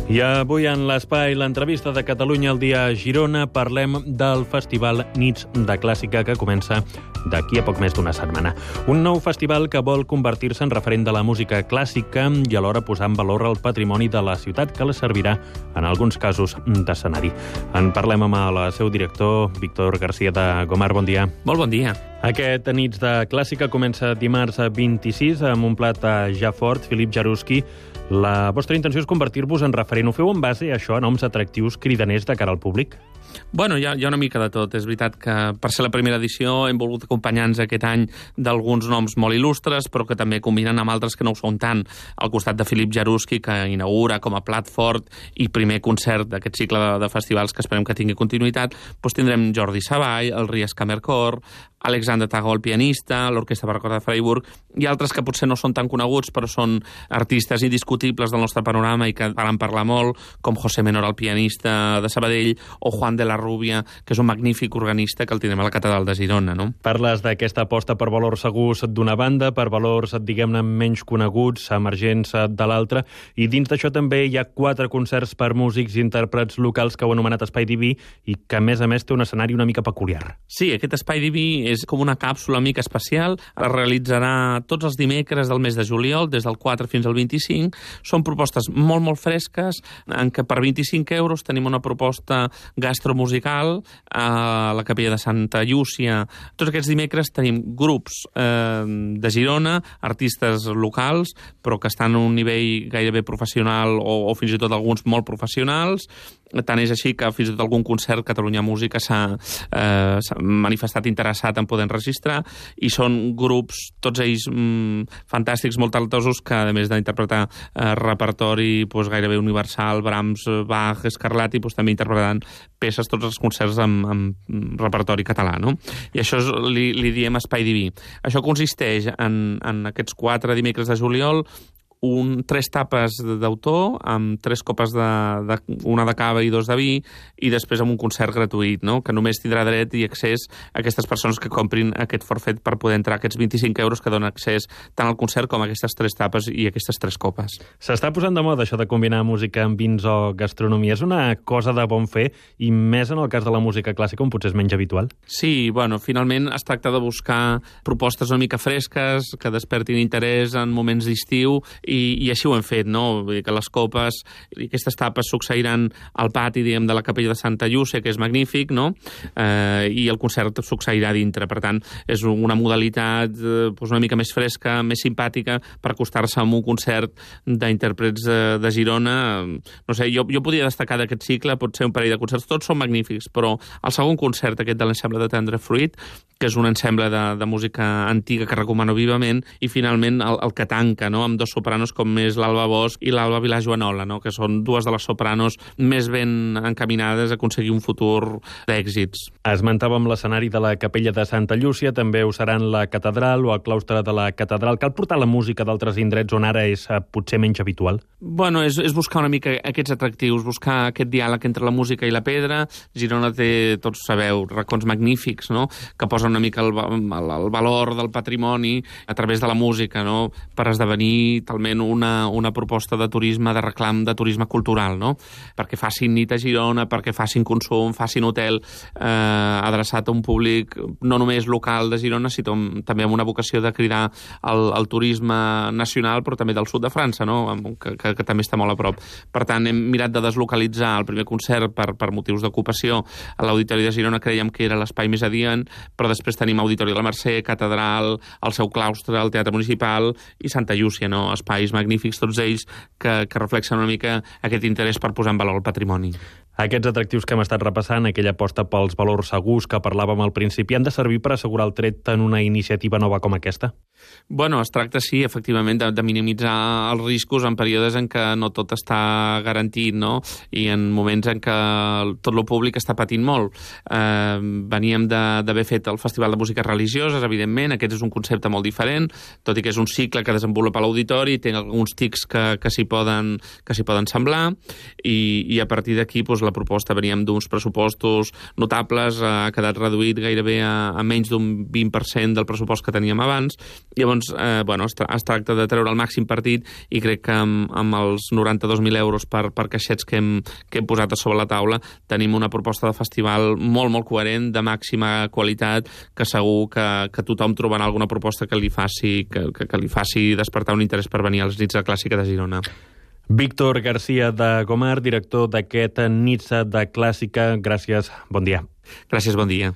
I avui en l'Espai, l'entrevista de Catalunya al dia a Girona, parlem del Festival Nits de Clàssica que comença d'aquí a poc més d'una setmana. Un nou festival que vol convertir-se en referent de la música clàssica i alhora posar en valor el patrimoni de la ciutat que la servirà en alguns casos d'escenari. En parlem amb el seu director, Víctor García de Gomar. Bon dia. Molt bon dia. Aquest Nits de Clàssica comença dimarts 26 amb un plat ja fort, Filip Jaruski. La vostra intenció és convertir-vos en referent. Ho feu en base a això, a noms atractius cridaners de cara al públic? Bueno, hi ha una mica de tot. És veritat que per ser la primera edició hem volgut acompanyar-nos aquest any d'alguns noms molt il·lustres, però que també combinen amb altres que no ho són tant. Al costat de Filip Jaruski, que inaugura com a plat fort i primer concert d'aquest cicle de festivals que esperem que tingui continuïtat, doncs tindrem Jordi Savall, el Ries Kammerchor, Alexander Tago, el pianista, l'Orquestra Barroca de Freiburg, i altres que potser no són tan coneguts, però són artistes indiscutibles del nostre panorama i que van parlar molt, com José Menor, el pianista de Sabadell, o Juan de la Rubia, que és un magnífic organista que el tindrem a la Catedral de Girona, no? Parles d'aquesta aposta per valors segurs d'una banda, per valors, diguem-ne, menys coneguts, emergents de l'altra, i dins d'això també hi ha 4 concerts per músics i intèrprets locals que heu anomenat Espai Diví i que, a més, té un escenari una mica peculiar. Sí, aquest Espai Diví és com una càpsula mica especial. Es realitzarà tots els dimecres del mes de juliol, des del 4 fins al 25. Són propostes molt, molt fresques, en què per 25 euros tenim una proposta gastromusical a la Capella de Santa Llúcia. Tots aquests dimecres tenim grups de Girona, artistes locals, però que estan a un nivell gairebé professional o fins i tot alguns molt professionals. Tant és així que fins i tot algun concert Catalunya Música s'ha manifestat interessat en poder enregistrar, i són grups, tots ells fantàstics, molt talentosos, que a més d'interpretar repertori gairebé universal, Brahms, Bach, Scarlatti, també interpretaran peces, tots els concerts amb repertori català, no? I això li diem Espai Diví. Això consisteix en aquests 4 dimecres de juliol, 3 tapes d'autor, amb 3 copes una de cava i 2 de vi, i després amb un concert gratuït, no? Que només tindrà dret i accés a aquestes persones que comprin aquest forfet per poder entrar, aquests 25 euros que donen accés tant al concert com a aquestes 3 tapes i aquestes 3 copes. S'està posant de moda això de combinar música amb vins o gastronomia. És una cosa de bon fer, i més en el cas de la música clàssica, on potser és menys habitual. Sí, bueno, finalment es tracta de buscar propostes una mica fresques, que despertin interès en moments d'estiu, i així ho hem fet, no? Vull dir que les copes i aquestes tapes succeiran al pati, diguem, de la Capella de Santa Llúcia, que és magnífic, no? I el concert succeirà dintre. Per tant, és una modalitat una mica més fresca, més simpàtica, per acostar-se a un concert d'intèrprets de Girona. No sé, jo podria destacar d'aquest cicle, potser un parell de concerts. Tots són magnífics, però el segon concert, aquest de l'ensemble de Tendre Fruit, que és un ensemble de música antiga que recomano vivament, i finalment el que tanca, no? Amb 2 sopranos com és l'Alba Bosch i l'Alba Vilajoanola, no? Que són 2 de les sopranos més ben encaminades a aconseguir un futur d'èxits. Esmentàvem l'escenari de la Capella de Santa Llúcia, també ho seran la catedral o el claustre de la catedral. Cal portar la música d'altres indrets on ara és potser menys habitual? Bueno, és buscar una mica aquests atractius, buscar aquest diàleg entre la música i la pedra. Girona té, tots sabeu, racons magnífics, no? Que posen una mica el valor del patrimoni a través de la música, no? Per esdevenir talment una proposta de turisme, de reclam de turisme cultural, no? Perquè facin nit a Girona, perquè facin consum, facin hotel adreçat a un públic no només local de Girona, sinó també amb una vocació de cridar el turisme nacional, però també del sud de França, no? Que també està molt a prop. Per tant, hem mirat de deslocalitzar el primer concert per motius d'ocupació a l'Auditori de Girona. Creiem que era l'espai més adient, però després tenim Auditori de la Mercè, Catedral, el seu claustre, el Teatre Municipal i Santa Llúcia, no? Espais magnífics, tots ells que reflexen una mica aquest interès per posar en valor el patrimoni. Aquests atractius que hem estat repassant, aquella aposta pels valors segurs que parlàvem al principi, han de servir per assegurar el tret en una iniciativa nova com aquesta? Bueno, es tracta, sí, efectivament, de minimitzar els riscos en períodes en què no tot està garantit, no? I en moments en què tot el públic està patint molt. Veníem d'haver fet el Festival de Músiques Religioses, evidentment, aquest és un concepte molt diferent, tot i que és un cicle que desenvolupa l'auditori, té alguns tics que s'hi poden semblar, i a partir d'aquí, la proposta, veníem d'uns pressupostos notables, ha quedat reduït gairebé a menys d'un 20% del pressupost que teníem abans. Llavors, es tracta de treure el màxim partit i crec que amb els 92.000 euros per caixets que hem posat a sobre la taula tenim una proposta de festival molt, molt coherent, de màxima qualitat, que segur que tothom trobarà alguna proposta que li faci despertar un interès per venir als Nits de Clàssica de Girona. Víctor García de Gomar, director d'aquest Nits de Clàssica. Gràcies, bon dia. Gràcies, bon dia.